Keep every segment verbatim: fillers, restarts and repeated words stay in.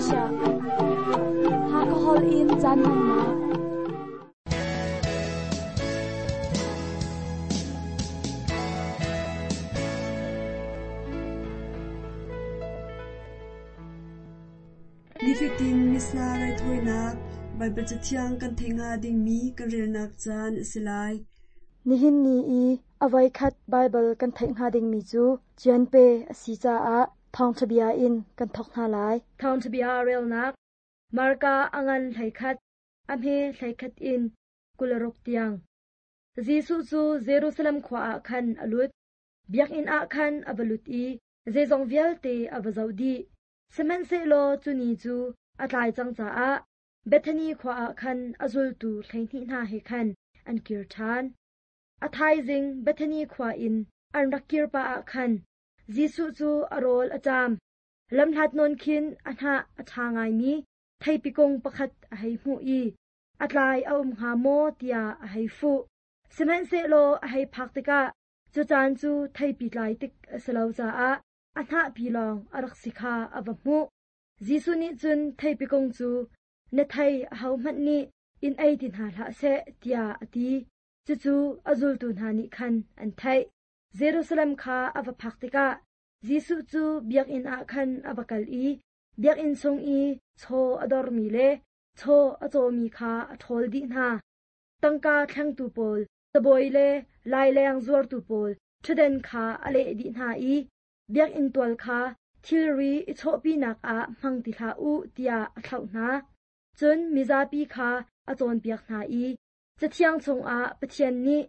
Malaysia Hakahol in caan hmannak. Nifatin Missa raithawinak Baibal Cathiang kan theih hnga dingmi kan relnak caan a si lai. Nihin ni i a voikhat Baibal kan theih hnga dingmi cu Cianpe a si caah thawngṭha bia in kan thawk hna lai. Thawngṭha bia relnak Marka a ngan hleikhat, a hme hleikhat in kularuk tiang. Jesuh cu Jerusalem khua ah khan a lut. Biakinn ah khan a va lut i zeizong vialte a va zoh dih. Sihmanhsehlaw cu ni cu a tlai cang caah Bethany khua ah khan a zultu hleihnih hna he khan an kir ṭhan. A thaizing Bethany khua in an rak kir pah ah khan Jesuh cu a rawl a ṭam. Lamhlat nawn khin a hnah a ṭha ngaimi theipi kung pakhat a hei hmuh i a tlai a um hnga maw tiah a hei fuh. Sihmanhsehlaw a hei phak tikah cu caan cu theipi tlai tik a si lo caah a hnahpi lawng a rak si kha a va hmuh. Jesuh nih cun theipi kung cu na thei ahohmanh nih in ei ti hna hlah seh tiah a ti. Cucu a zultu hna nih khan an theih. Jerusalem kha a va phak tikah Jesuh cu biakinn ah khan a va kal i biakinn chung i chaw a dormi le chaw a cawmi kha a ṭhawl dih hna. Tangka thlengtu pawl, cabawi le laileng zuartu pawl ṭhutden kha a leh dih hna i biakinn tual kha thilri i chawhpinak ah hmang ti hlah u tiah a thlauh hna. Cun mizapi kha a cawnpiak hna i Cathiang chungah Pathian nih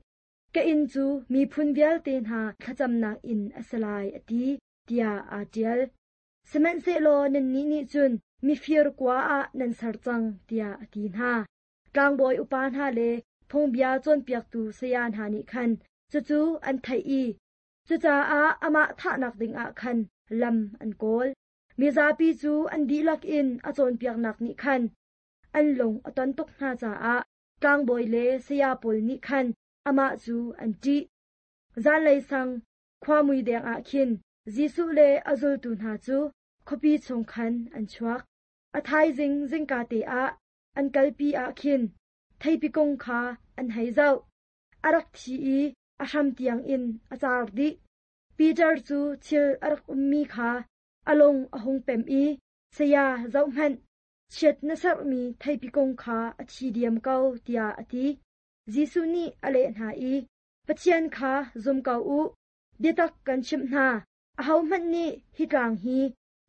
ka inn cu miphun vialte hna thlacamnak inn a si lai a ti, tiah aa ṭial. Sihmanhsehlaw nannih nih cun mifir kua ah nan ser cang, tiah a ti hna. Tlangbawi upa hna le phungbia cawnpiaktu saya hna nih khan cucu an theih i cucaah amah thahnak dingah khan lam an kawl. Mizapi cu an dihlak in a cawnpiaknak nih khan an lung a ton tuk hna caah tlangbawi le saya pawl nih khan amah cu an ṭih. Zanlei sang khuamui deng ah khin Jesuh le a zultu hna cu khuapi chung khan an chuak. A thaizing zingka te ah an kalpi ah khin theipi kung kha an hei zoh. A rak thi i a hram tiang in a car dih. Peter cu thil a rak ummi kha a lung a hung pem i saya zohhmanh, chiat na serhmi theipi kung kha a thi diam ko tiah a ti. Jesuh nih a leh hna i Pathian kha zum ko u, biatak kan chimh hna, ahohmanh nih hi tlang hi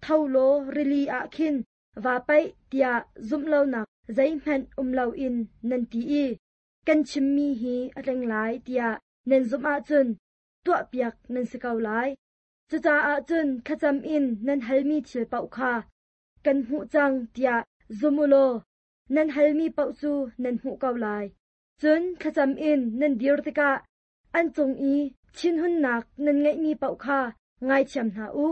tho law rili ah khin va paih tiah zumh lonak zeihmanh um loin nan ti i kan chimmi hi a tling lai tiah nan zumh ahcun tuahpiak nan si ko lai. Cucaah cun thlacam in nan halmi thil paoh kha kan hmuh cang tiah zum u law nan halmi paoh cu nan hmuh ko lai. Cun thlacam in nan dir tikah an cung i thinhunnak nan ngeihmi paoh kha ngaithiam hna u.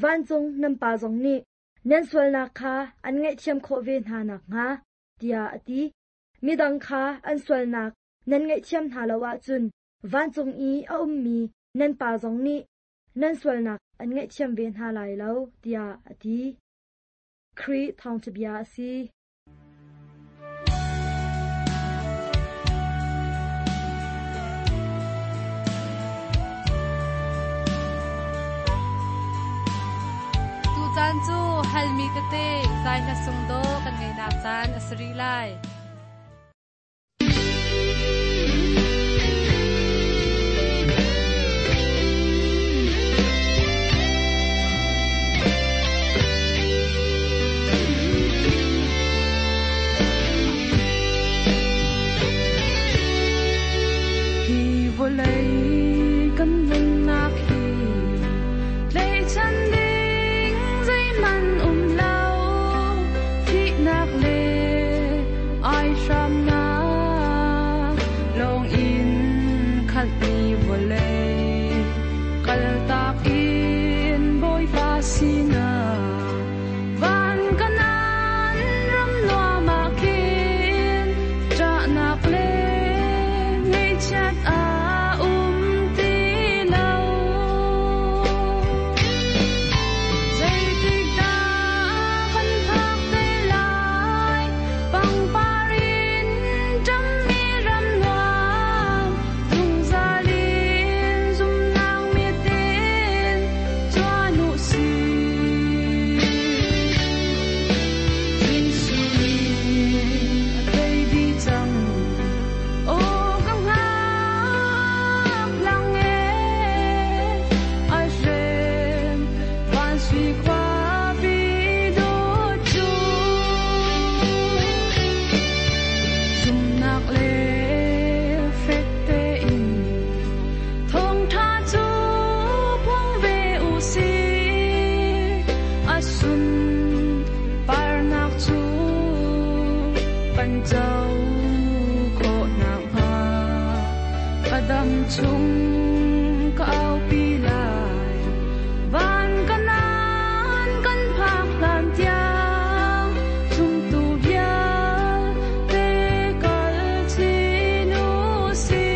Vancung nan Pa zong nih nan sualnak kha an ngaihthiam khawh ve hna nakhnga, tiah a ti. Midang kha an sualnak nan ngaihthiam hna lo ahcun vancung i a ummi nan Pa zong nih nan sualnak an ngaihthiam ve hna lai lo, tiah a ti. Khrih thawngṭha bia a si. Tucaan cu halmi tete zai hla sung do kan ngeinak caan a si rih lai. Hi vawlei kan nunnak hi tlaihchan ding zeihmanh um lo, thihnak le Kan co khawh nakhnga ka dam chung ka aupi lai van kanan kan phak hlan tiang zumtu vialte kal chin u sih.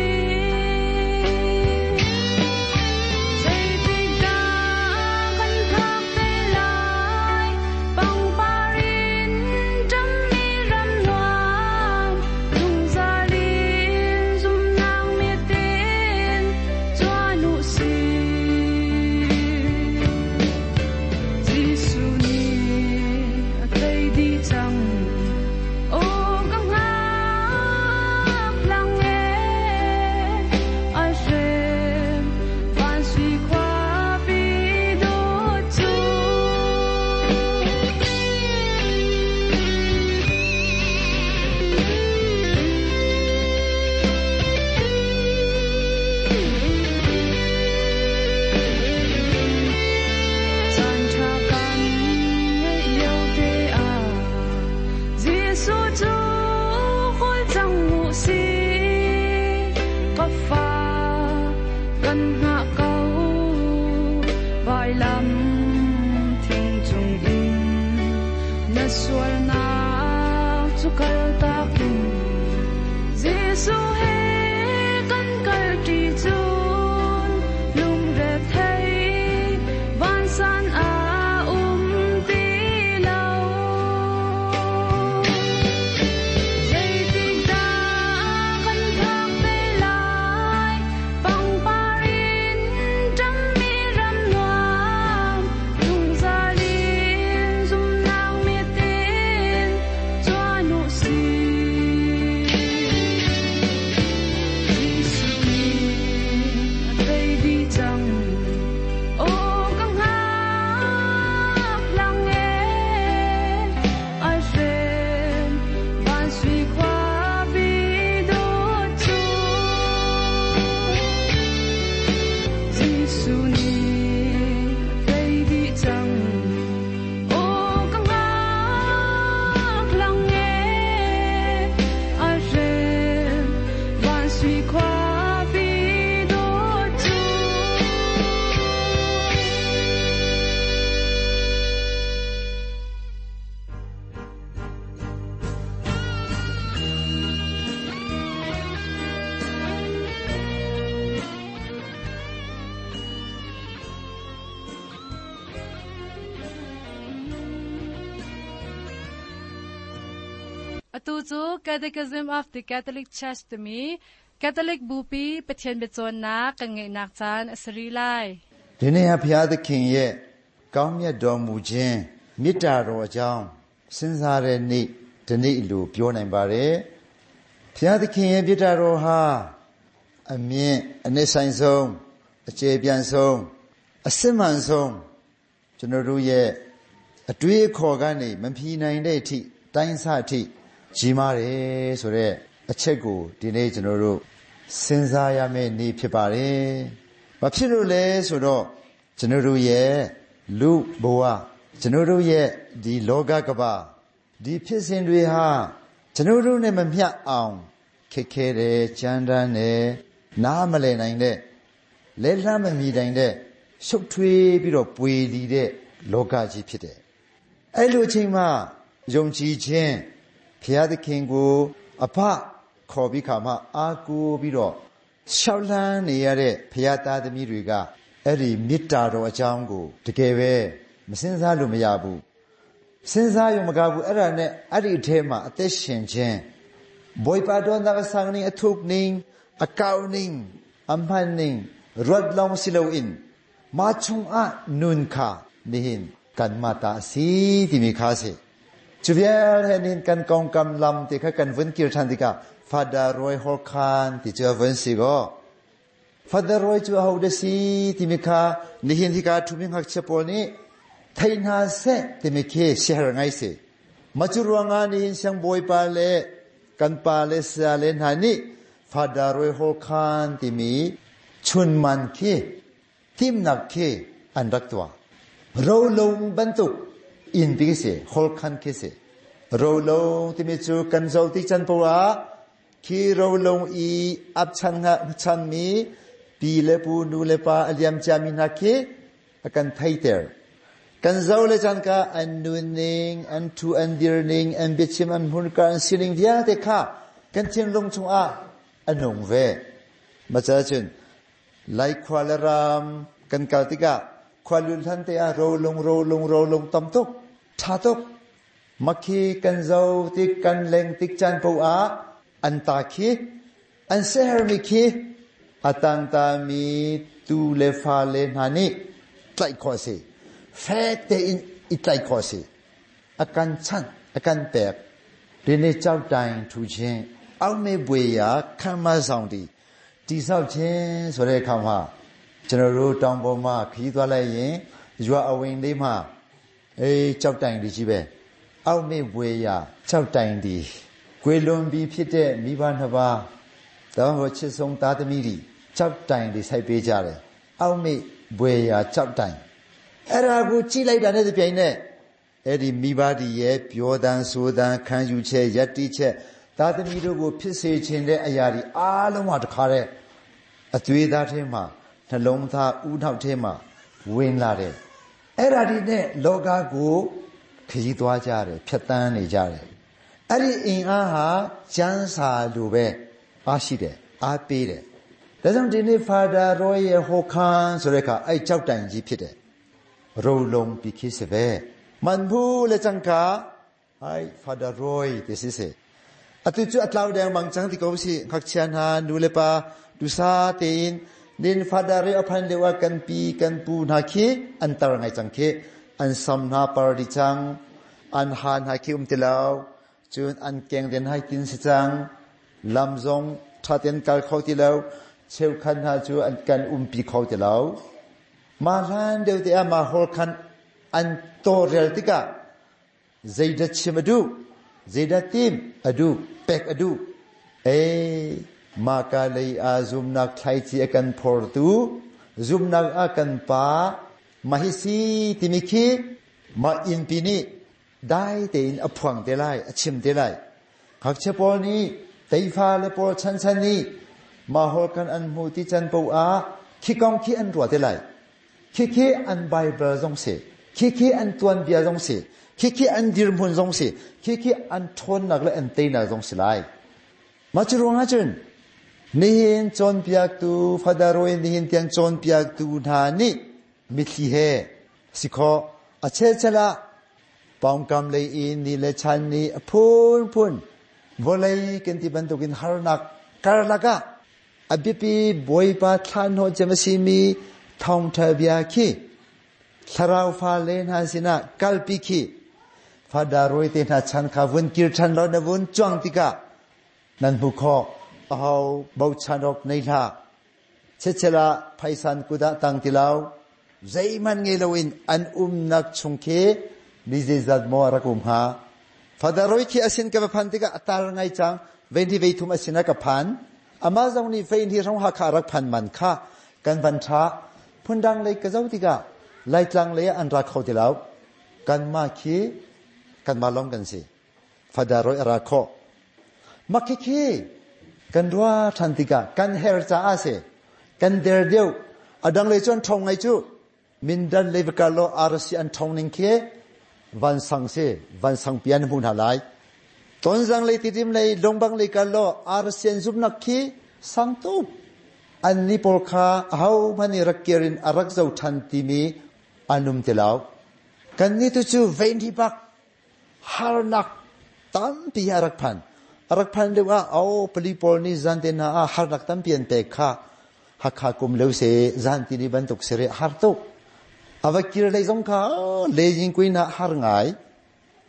Zeitik dah kan phak te lai pangpar in ṭammi ram nuam zungzal in zumnak mit in cuan u sih. Jesuh nih a tei dih cang, aw ka hngak lang e, ai hrem van sui khuapi dawt cu. Caan ṭha kan ngeih lio te ah Jesuh cu kawl cang u sih. Ka fa kan hngah ko vailam thing cung in na sualnak cu kaltak in Jesuh he kan kal ṭi cun lungrethei vansan a um ti lo. Zeitik dah kan phak te lai pangpar in ṭammi ram nuam zungzal in zumnak mit in cuan u sih. Jesuh nih a tei dih cang, aw ka hngak lang e, ai hrem van sui khuapi dawt cu. Jesuh nih a tei dih cang, aw ka hngak lang e, ai hrem van sui khuapi dawt cu. Atu cu Catechism of the Catholic Church timi Catholic Bupi Pathian biacawnnak kan ngeihnak caan a si rih lai. ဒီနေ့ဟာဘုရားသခင်ရဲ့ကောင်းမြတ်တော်မူခြင်းမေတ္တာတော်အကြောင်းစဉ်းစားတဲ့နေ့ဒီနေ့လိုပြောနိုင်ပါတယ်။ဘုရားသခင်ရဲ့မေတ္တာတော်ဟာအမြင့်အနစ်ဆိုင်ဆုံးအကျေပြန့်ဆုံးအစစ်မှန်ဆုံးကျွန်တော်တို့ရဲ့အတွေးအခေါ်ကနေမဖြီနိုင်တဲ့အထိတိုင်းဆအထိကြီးမားတယ်ဆိုတဲ့အချက်ကိုဒီနေ့ကျွန်တော်တို့စဉ်းစားရမယ့်နေ့ဖြစ်ပါတယ်။ဘာဖြစ်လို့လဲဆိုတော့ကျွန်တော်တို့ရဲ့လူဘဝကျွန်တော်တို့ရဲ့ဒီလောကကမ္ဘာဒီဖြစ်စဉ်တွေဟာကျွန်တော်တို့နဲ့မမျှအောင်ခက်ခဲတယ်ကြမ်းတမ်းတယ်နားမလည်နိုင်တဲ့လဲလှမ်းမမီနိုင်တဲ့ရှုပ်ထွေးပြီးတော့ပွေလီတဲ့လောကကြီးဖြစ်တယ်။အဲ့လိုအချိန်မှာယုံကြည်ခြင်းဘုရားသခင်ကိုအဖခေါ်ပြီးခါမှအာကိုပြီးတော့ရှောက်လန်းနေရတဲ့ဘုရားသားသမီးတွေကအဲ့ဒီမေတ္တာတော်အကြောင်းကိုတကယ်ပဲမစင်စားလို့မရဘူး။စဉ်းစားရုံမကဘူးအဲ့ဒါနဲ့အဲ့ဒီအထဲမှာအသက်ရှင်ခြင်းဘွေပါတော်နာဆောင်နေအထုပ်နေအကောင်းနေအမှန်နေရတ်လောင်စီလိုအင်မာချုံအနွန်ခါနေဟင်ကန်မာတာစီတိမိခါစီจุเวียลเฮนินกันกองกำลำที่เขากันวนกิรทันติกาฟาดารอยฮอคานที่เจอวนสิโกฟาดารอยจูเฮาเดซีที่มิคานิหินที่กาทุมิหักเชปอนี่ไทนาเซที่มิเคเชหรไงสิมาจุรวงานิหินเชียงบอยปาเลกันปาเลสาเลนหานี่ฟาดารอยฮอคานที่มีชุนมันเคทิมนักเคอันรักตัวเราลงบรรทุกอินปิเสฮอลคันเคเส Rolong timi chu kan zo ti chan powa khi rolong i ap chan nga chan mi pi le pu nu le pa aliam cha mi na khi akan thaiter kan zo le chan ka an nun ning an thu an dir ning an biachim an hun ka an sining vialte kha kan thin lung chung a anung ve ma cha chun lai khwa le ram kan kal tika khwa lun than te a rolong rolong rolong tam tuk tha tuk makhi kan zo tik kan leng tik chan po a an ta khi an seher mi khi atang ta mi tu le fa le na ni tlai kho si fek te in i tlai kho si akan chan akan pek rini chau tai thu chen အောက်မေပွေရာခံမဆောင်တီတိဆောက်ခြင်းဆိုတဲ့အခါမှာကျွန်တော်တို့တောင်ပေါ်မှာခရီးသွားလိုက်ရင်ရွာအဝင်လေးမှာအေးကြောက်တိုင်ဒီကြီးပဲအောက်မေပွေရာကြောက်တိုင်ဒီကွေလွန်ပြီးဖြစ်တဲ့မိဘနှစ်ပါးတောင်ဟိုချစ်ဆုံးသားသမီးတွေကြောက်တိုင်ဒီစိုက်ပေးကြတယ်အောက်မေပွေရာကြောက်တိုင်အဲ့ဒါကိုကြည့်လိုက်တာနဲ့တပြိုင်နက်အဲ့ဒီမိဘဒီရဲ့ပြောတန်ဆိုတန်ခံယူချက်ယက်တိချက်သားသမီးတို့ကိုဖြစ်စေခြင်းတဲ့အရာတွေအားလုံးဟာတခါတဲ့အသွေးသားထဲမှာနှလုံးသားဥနှောက်ထဲမှာဝင်လာတယ်အဲ့ဒါဒီနဲ့လောကကိုခရီးသွားကြတယ်ဖြတ်တန်းနေကြတယ်အဲ့ဒီအင်အားဟာကျမ်းစာလိုပဲအားရှိတယ်အားပေးတယ်ဒါကြောင့်ဒီနေ့ဖာဒါရောရဲ့ဟိုခန်းဆိုတဲ့အခါအဲ့ကြောက်တိုင်ကြီးဖြစ်တယ်ရိုလုံပိခိစပဲမန်ဘူးလေချန်ကာအိုင်ဖာဒါရောဒီစစ်စေအတူချအတလောက်တဲ့မန်ချန်ဒီကောစီခက်ချန်ဟာနူလေပါဒူစာတင်นินฟาดาเรอพันเลวกันปีกันปูนาคีอันตรไงจังคีอันซัมนาปาริจังอันฮานฮาคีอุมติลาวจุนอันเกงเดนให้กินสิจังลำซงทาเตนกาลเขาติลาวเชลคันฮาจูอันกันอุมปีเขาติลาวมาลานเดียวเตียมาฮอลคันอันโตเรลติกะเจดชิมดูเจดติมอดูเป็กอดูเอมาคาเลยอาซุมนักไทจีกันพอร์ตูซุมนักอากันปามาฮิซีติมิคีมาอินปีนี้ได้แต่อินอพวังเตไลอชิมเตไลขักเชปอนี้ไตฟ้าเลปอชันชันนี้มาฮอกันอันมูติจันปูอาขี้กองขี้อันรัวเตไลขี้ขี้อันไบเบิลซงเสขี้ขี้อันตวนเบียซงเสขี้ขี้อันดิรมุนซงเสขี้ขี้อันทนนักและอันเตนักซงเสไลมาจุรวงอาจุนนิหินจนเปียกตูฟาดารอยนิหินเตียงจนเปียกตูนานิมิทีเฮสิขออเชชละปองกำเลยอินนี่เลชันนี่พูนพูนวเลยกันที่บรรทุกินฮาร์นักการลักะอบิปีบอยปาทานโฮจมสีมีทองทเบียคีทราวฟาเลนฮาสินะกัลปิคีฟาดารอยเตนะชันขาวุนกิรชันรอนวุนจวงติกะนันบุคอเอาบาชันรกในท่าเชเชละไพศาลกุดะตังติลาวใจมันเงลวินอันอุมนักชงเคนิเจจัดมอรักุมหาฟาดารอยคีอสินกับพันติกะตาลไงจังเวนที่เวทุมอสินกับพันอามาจงนี่เวนที่ร้องหักขารักพันมันค่ากันบัญชาพุนดังเลยกระเจ้าติกะไล่จังเลยอันรักเขาติลาวกันมาคีกันมาล้อมกันสิฟาดารอยรักเขามักคีกันรัวทันติกะกันเฮรจ้าเสกันเดรเดียวอดังเลยจนทงไงจูมินดันเลวกาโลอารสีอันทงนิงเควันสังเสวันสังเปียนมุนหลายตอนสังเลยติดิมเลยลงบังเลยกาโลอารสีอันซุบนักคีสังตุบอันนี้พอคาเฮามันนี่รักเกรินอรักเจ้าทันติมีอนุมเตลาวกันนี่ตัวจูเวนที่ปักฮาร์นักตั้มปีอารักพันรักพันเรียกว่าเอาปลีปอนี่จันเตนาฮาร์นักตั้มเปลี่ยนเปกค่ะหักขากุมเลวเสจันตินีบันตุกเสรฮาร์ตุกอาวกิรเลยสงขาเลยยิงกุยนาฮาร์ไง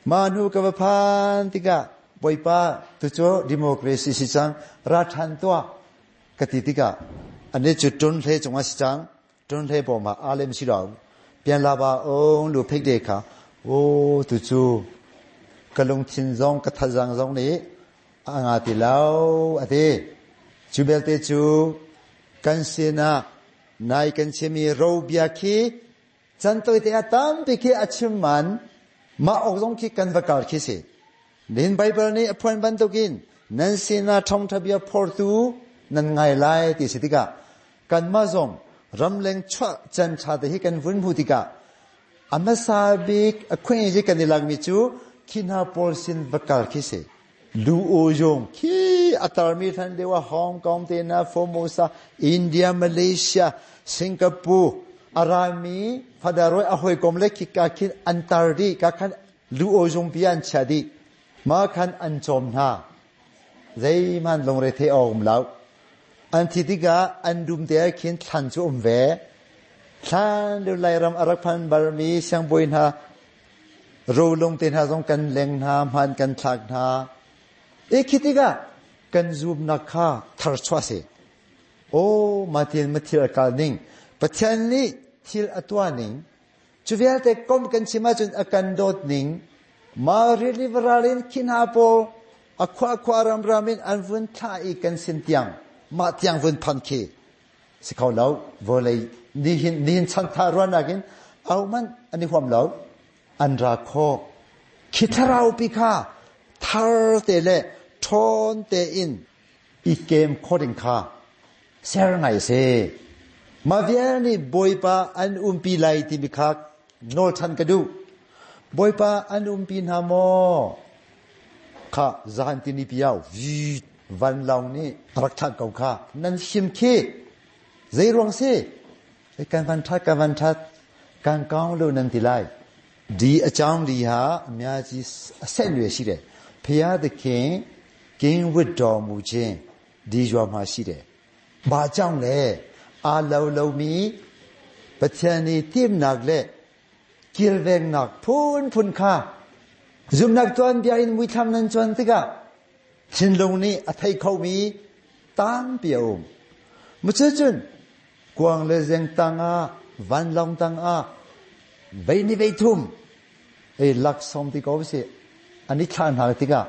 มานูกับพันติกะบอยป้าตุโจดิโมคราซีสิจังราชันตัวกติติกะอันนี้จุดจนเทจงว่าสิจังจนเทบอกมาอาเลมสิเราเปลี่ยนลาบาองลูเพกเดค่ะโอ้ตุโจกะลงทินซองกะทะจังซองนี้อางาติลาวอเตจูเบลเตจูกันเซนานายกันเชมีโรเบียคีจันตัวเตอตัมปิคีอชิมันมาออกซงคีกันวกาลคีสิ Nin Bible nih a phuan bantukin nan sinah thawngtha bia phortu nan ngai lai ti si tikah kanmah zong ramleng chuah can tha te hi kan vun hmu tikah a hmasa bik a khuai kan i lakmi cu khi hna pawl sin va kal khi si. Lu o yong khi a tarmi than dewa Hong Kong te na Formosa India Malaysia Singapore arami fadaroi a hoi kom le khi ka khin an tar di ka khan lu o yong pi an chia di ma khan an chom hna zeiman lungre the om lo an thi tikah an dum te khin thlan chu um ve thlan lu lai ram arak phan barmi siangboi hna rolung te hna zong kan leng hna hman kan thlak hna e khi tikah kan zum nak kha thar chua se o ma thil ma thil akal ning Pathian nih thil atua ning chu vialte kom kan chima chun akan dot ning ma reliveralin khin ha po akhwa khwa ram ramin an vun tha i kan sin tiang ma tiang vun phan khi si khau lo volei ni hin ni hin chan tha ruan nakin au man ani huam lo an ra kho khi tharau pi kha thar te le thon te in i kem khoding kha ser ngai se ma vial ni boipa an umpi lai ti mi kha nol than ka du boipa an umpi na mo kha zan ti ni piao vi van long ni rak than kau kha nan him khi zei ruang si kan van that kan van that kan kaung lo nan ti lai ဒီအကြောင်းဒီဟာအများကြီးအဆက်အနွယ်ရှိတယ်ဖျားသခင်ကင်းဝတ်တော်မူခြင်းဒီရွာမှာရှိတယ်။ဘာကြောင့်လဲအာလောလုံးမီပချန်နီတိမ်นักလေกิลเวงนักพูนพูนค่าซุมนักจวนเบียอินมุยทำนันจวนติกะชินลงนี้อไทยเขามีตามเปียวมุเชจุนกวางเลเซงตังอาวันลองตังอาเวนิเวทุมเอ้ลักซอมติกอเสอันนี้ทานหาติกะ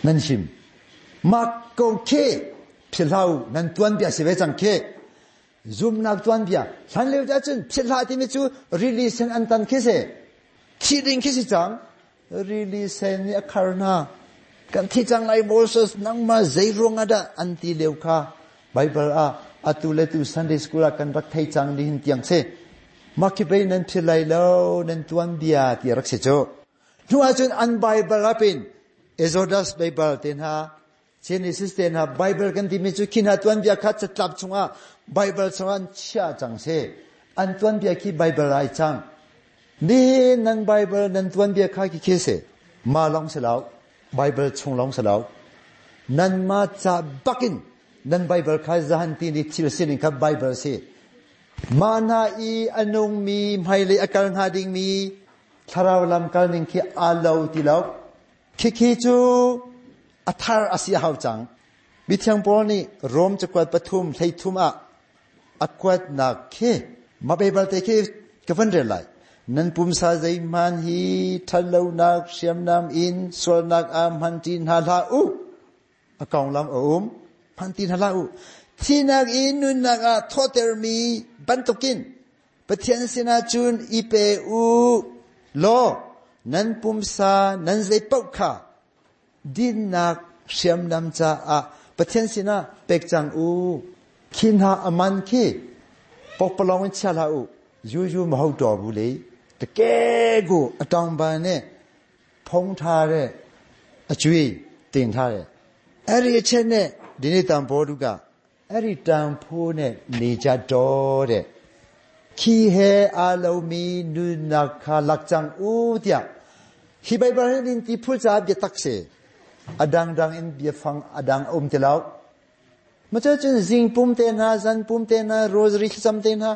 นั่นชิมมักกงเคพิลาวนั่นตวนเบียสิเวจังเคซุมนักตวนเบียฉันเลวจะจุนพิลาที่มิจูรีลีเซนอันตันเคเสที่ดิงเคสิจังรีลีเซนนี่คารนากันที่จังไลโมเสสนังมาเจรุงอดะอันตีเลวคาไบเบิลอาอตุเลตุซันเดย์สกูลกันรักไทยจังนี่หินเตียงเสมักคิไปนั่นพิไลเลวนั่นตวนเบียที่รักเสโจนัวจนอันไบเบิลเป็นเอโซดัสไบเบิลเตนฮา Genesis เตนฮาไบเบิลกันที่มีจุขินฮาตวนเบียขัดจะจับชงอ่ะไบเบิลชงอันเชื่อจังเสอันตวนเบียขี้ไบเบิลไอจังนี่นั่นไบเบิลนั่นตวนเบียขัดขี้เสมาลองเสลาไบเบิลชงลองเสลานั่นมาจะบักินนั่นไบเบิลขัดจะหันตีนี่ทิลสินิครับไบเบิลเสมานาอีอนงมีไม่เลยอาการหาดิงมีทาราวลำการนิ่งขี้อาเลวตีเลวขี้ขี้จูอัธรอาเซียหาวจังมิเทียงปอนี่โรมจะกวดปทุมไทยทุมอะอักวดนักเคมาไปบัลเตเคกฟันเรไลนั่นปุ่มซาใจมันฮีทันเลวนักเสียมนำอินส่วนนักอามหันจีนฮาลาอุอากองลำอุมหันตีนฮาลาอุที่นักอินนุนักอะทอเตอร์มีบันตุกินปะเทียนสินาจุนอีเปอูโลนั่นปุ่มซานั่นใจปกขาดินนักเสียมนำจ้าอะปะเทียนสินาเป็กจังอูคินหาอมันคีปกปลองเชลาอูยูยูมหดอบุเลยตะเกกูอตองบานเนี่ยพงทาเรอจุยตินทาเรเอริเชเนดินี่ตัมโพดุกะเอริตัมโพเนနေကြတော့တဲ့คีเฮอาโลมีนุนักคาลักจังอูเตียฮิไบเบิลนินติพูจาเบียตักเสอดังดังอินเบียฟังอดังอมเตลาวมาเจอจนซิงปุ่มเตนะซันปุ่มเตนะโรสริซัมเตนะ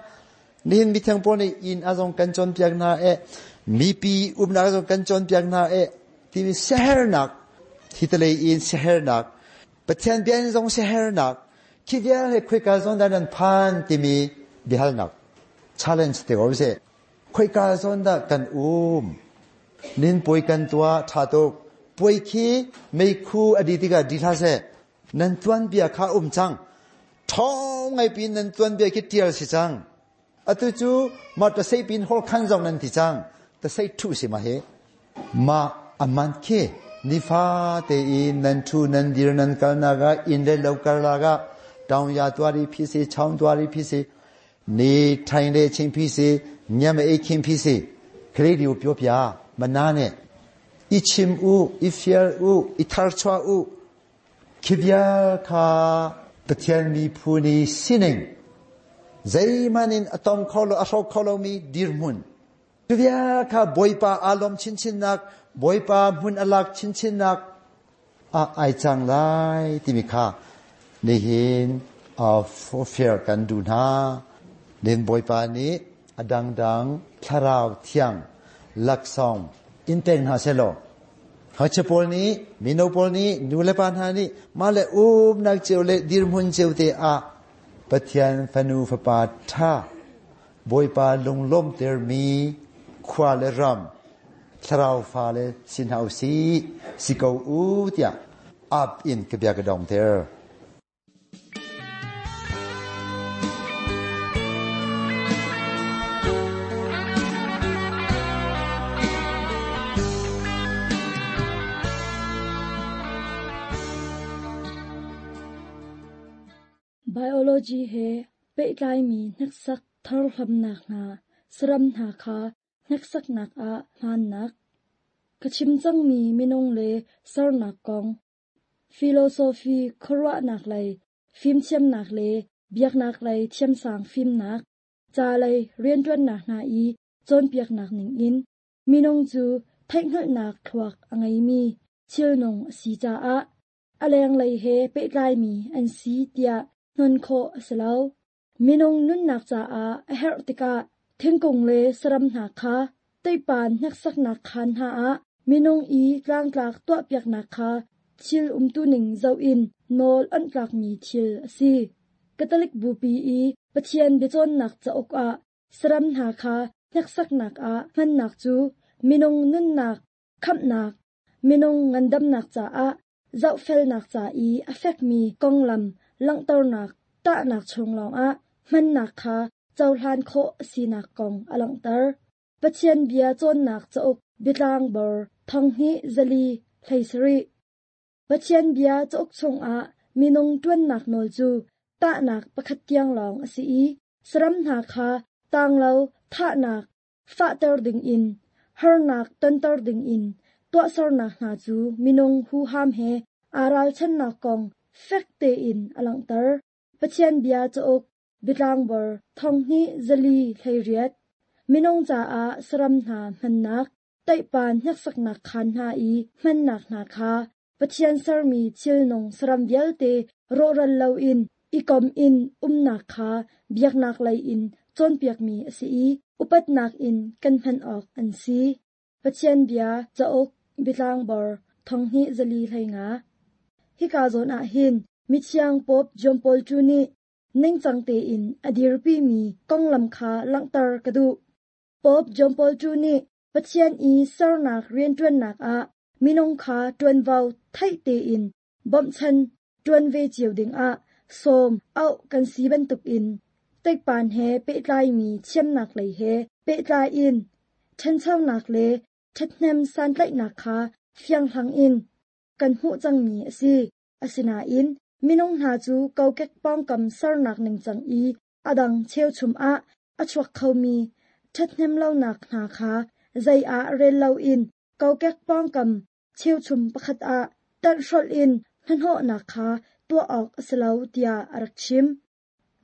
นี่มีทางปนอินอาซงกันจนเปียกนาเอมีปีอุมนาซงกันจนเปียกนาเอที่มีเซฮร์นักที่ทะเลอินเซฮร์นักประเทศเบียนซงเซฮร์นักคิดว่าให้คุยกันซงดันพานที่มีบิฮัลนัก challenge เดี๋ยวเสคุยกันซงดันกันอุ้มนินป่วยกันตัวชาตุป่วยขี้ไม่คู่อดีติกาดีท่าเสนั่นตวนเบียข้าอุ้มจังท้องไงปีนั่นตวนเบียคิดเตียวสิจังอตุจูมาตะเซปินฮอลคันจงนั่นที่จังตะเซทุสิมาเฮมาอามันเค Nifa te in nan thu nan dir nan kal naga in le lo kal lagaတောင်ရသွားပြီးဖြစ်စေချောင်းသွားပြီးဖြစ်စေနေထိုင်တဲ့အချိန်ဖြစ်စေညမအိပ်ခင်ဖြစ်စေကလေးတွေကိုပြောပြမနာနဲ့အချင်ဦးအဖျာဦးအထာချွာဦးခိဗျာခါပထန်မီဖူနီစင်းနေဇိမနင်အတမ်ခေါလအရှောခေါလမီဒီရမွန်ခိဗျာခါဘွိပါအလုံးချင်းချင်းနက်ဘွိပါမွန်အလက်ချင်းချင်းနက်အအိုင်ချန်လိုက်တိမိခါ nihin of fear kan du na nin boipa ni adang dang thlarau thiang laksong inten ha selo ha chepol ni minopol ni nulepan ha ni male um nak cheu le dir mun cheu te a pathian fanu fapa tha boipa lunglom ter mi khwa le ram thlarau fa le sin hau si si ko u tia up in kebia kadong ter Biology he pehtlai mi hneksak tharhlamnak hna saram hna kha hneksaknak ah hmannak ka chim cangmi minung le sernak kong philosophy khuaruahnak lei fimthiamnak le biaknak lei thiamsang fimnak ca lei rianṭuannak hna i cawnpiaknak ningin minung cu theihhngalhnak thluak a ngeimi thilnung a si caah a lenglei he pehtlaimi an si tiah hnon khawh a si lo. Minung nunnak caah a herh tikah thingkung le saram hna kha teipan hneksaknak khaan hna ah minung i tlangtlak tuahpiaknak kha thil umtuning zoh in nawl onh tlakmi thil a si. Catholic Bupi i Pathian biacawnnak cauk ah saram hna kha hneksaknak ah hmannak cu minung nunnak, khamhnak, minung ngandamnak caah zohfelnak ca i a fekmi konglam langhternak tahnak chung lawngah hmannak kha cohlan khawh a sinak kong a langhter. Pathian bia cawnnak cauk biatlang bor thonghnih zali hlei sarih. Pathian bia cauk chungah minung ṭuannak nawl cu tahnak pakhat tiang lawng a si i saram hna kha tanglo thahnak fahter dingin harnak tonter dingin tuahsernak hna cu minung huham he aa ralchannak kong fek tein a langhter. Pathian bia cauk biatlang bor thonghnih zali hlei riat. Minung caah saram hna hmannak teipan hneksaknak khaan hna i hmannak hna kha Pathian sermi thilnung saram vialte rawhral loin i kom in umnak kha biaknak lei in cawnpiakmi a si i upatnak in kan hman awk an si. Pathian bia cauk biatlang bor thonghnih zali hlei nga. Hika zawn ah hin mithiang Pope John Paul two nih ningcang tein a dirpimi konglam kha langhter ka duh. Pope John Paul two nih Pathian i sernak rianṭuannak ah minung kha ṭuanvo theih tein bawmhchan ṭuan ve cio dingah sawm auh kan si bantukin teikpan he pehtlaimi thiamnak lei he pehtlai in ṭhanchonak le ṭhathnem santlaihnak kha fianghlang in kan hmuh cangmi a si. Asinain minung hna cu kokek pawngkam sernak ningcang i a dang cheuchum ah a chuak khomi ṭhathnem lonak hna kha zei ah rel loin kokek pawngkam cheuchum pakhat ah ṭanhhrolh in hnahnawhnak kha tuah awk a si lo tiah a rak chim.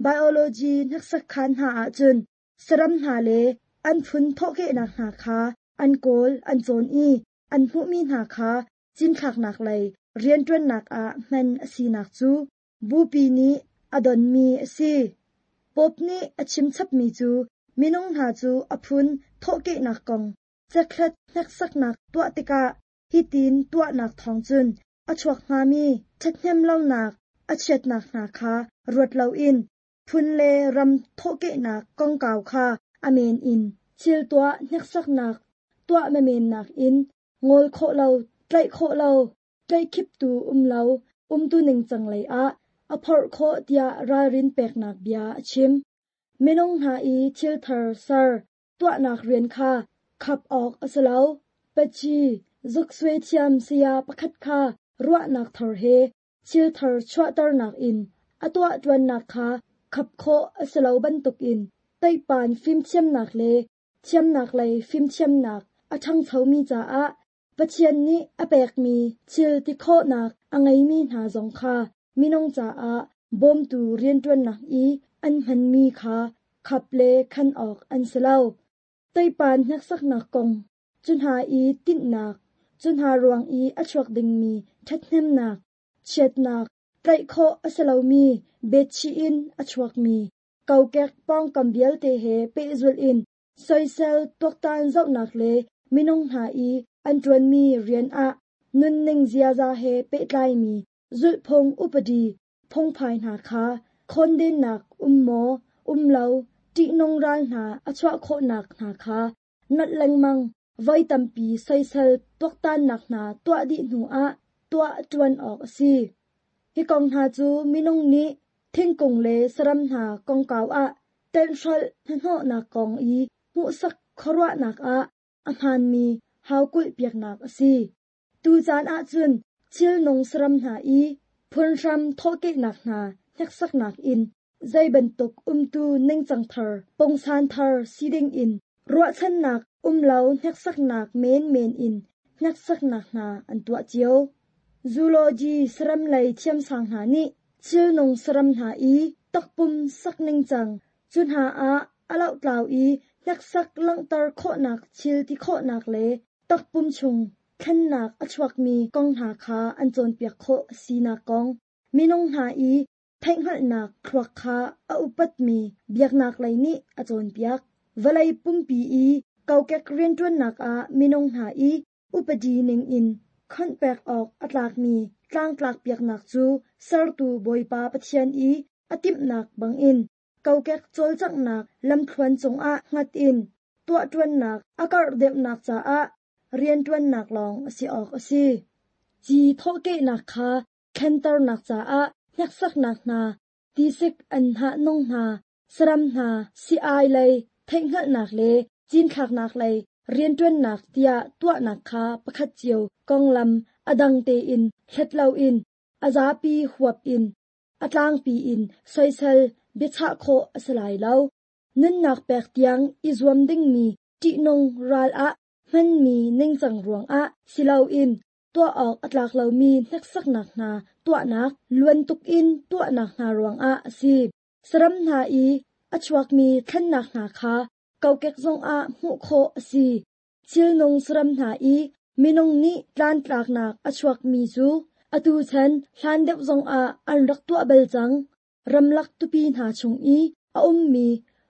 Biology hneksak khaan hna ahcun saram hna le an phun thawhkehnak hna kha an kawl an cawn i an hmuhmi hna kha cinthlaknak lei rianṭuannak ah hman a sinak cu bupi nih a donmi a si. Pope nih a chimchapmi cu minung hna cu a phun thawhkehnak kong cekhlat hneksaknak tuah tikah hitin tuahnak thawng cun a chuak hngami ṭhathnem lonak a chiatnak hna kha ruat loin phun le ram thawhkehnak kongkau kha a men in thil tuah hneksaknak tuah menmennak in ngol khawh lo tlaih khawh lo tlaihkhiptu um lo umtu ningcang lei ah a phorh khawh tiah ralrin peknak bia a chim. Minung hna i thil thar ser tuahnak rian kha khap awk a si lo. Paci Zuksui thiam saya pakhat kha ruahnak thar he thil thar chuahternak in a tuahṭuannak kha khap khawh a si lo bantukin teipan fimthiamnak le thiamnak lei fimthiamnak a ṭhangchomi caah Pathian nih a pekmi thil ti khawhnak a ngeimi hna zong kha minung caah bawmtu rianṭuannak i an hmanmi kha khap le khan awk an si lo. Teipan hneksaknak kong, cu hna i tinhnak, cu hna ruang i a chuak dingmi ṭhathnemnak, chiatnak, tlaih khawh a si lomi betchih in a chuakmi kokek pawngkam vialte he pehzulh in soisel tuaktan zohnak le minung hna i an ṭuanmi rian ah nunning ziaza he pehtlaimi zulhphung upadi phungphai hna kha khondennak um maw um lo ṭihnung ral hna a chuah khawhnak hna kha nolh lengmang voi tampi soisel tuaktannak hna tuah dih hnuah tuah ṭuan awk a si. Hi kong hna cu minung nih thingkung le saram hna kongkau ah tenhhrolh hnahnawhnak kong i hmuhsak khuaruahnak ah a hmaanmi haukulh piaknak a si. Tucaan ahcun thilnung saram hna i phunhram thawhkehnak hna hneksaknak in zei bantuk umtu ningcang thar pungsan thar si dingin ruahchannak um lo hneksaknak menmen in hneksaknak hna an tuah cio. Zoology saram lei thiamsang hna nih thilnung saram hna i takpum sak ningcang cu hna ah a lohtlau i hneksak langhter khawhnak thil ti khawhnak le takpum chung thlennak a chuakmi kong hna kha an cawnpiak khawh a sinak kong, minung hna i theihhngalhnak thluak kha a upatmi biaknak lei nih a cawnpiak. Vawlei pumpi i kokek rianṭuannak ah minung hna i upadi ningin khonpek awk a tlakmi tlangtlak piaknak cu sertu Bawipa Pathian i a timhnak bangin kokek cawlcanghnak lamthluan cungah hngat in tuahṭuannak a karh deuhnak caah rianṭuannak lawng a si awk a si. Ci thawhkehnak kha thlenternak caah hneksaknak hna, tisik an hnah nung hna, saram hna, si-ai lei theihhngalhnak le cinthlaknak lei rianṭuannak tiah tuahnak kha pakhat cio konglam a dang tein hlet loin a zapi huap in a tlangpi in soisel biachah khawh a si lai lo. Nunnak pek tiang i zuam dingmi ṭihnung ral ah hmanmi ningcang ruangah si loin tuah awk a tlak lomi hneksaknak hna tuahnak luan tukin tuahnak hna ruangah a si. Saram hna i a chuakmi thlennak hna kha kokek zongah hmuh khawh a si. Thilnung saram hna i minung nih tlantlaknak a chuakmi cu atu chan hlan deuh zongah an rak tuah bal cang. Ramlak tupi hna chung i a ummi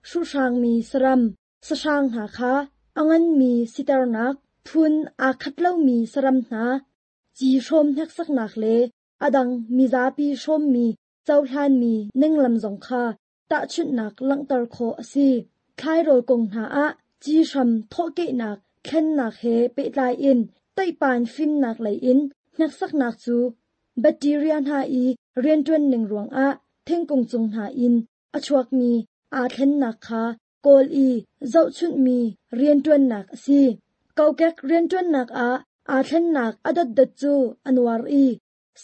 hruhhrangmi saram, sahrang hna kha a nganmi siternak, phun aa khat lomi saram hna, ci hrawm hneksaknak le a dang mizapi hrawmmi cohlanmi ninglam zong kha tahchunhnak langhter khawh a si. Thlairawl kong hna ah ci hram thawhkehnak thlennak he pehtlai in teipan fimnak lei in hneksaknak cu bacteria hna i rianṭuan ning ruangah thingkung cung hna in a chuakmi aa thlennak kha kawl i zohchunhmi rianṭuannak a si. Kokek rianṭuannak ah aa thlennak a dotdot cu a nuar i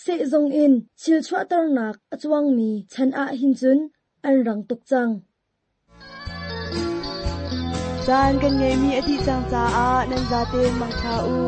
sehzung in thil chuahternak a cuangmi chan ah hin cun an rang tuk cang. Caan kan ngeimi a dih cang caah nan zaten mangṭha u.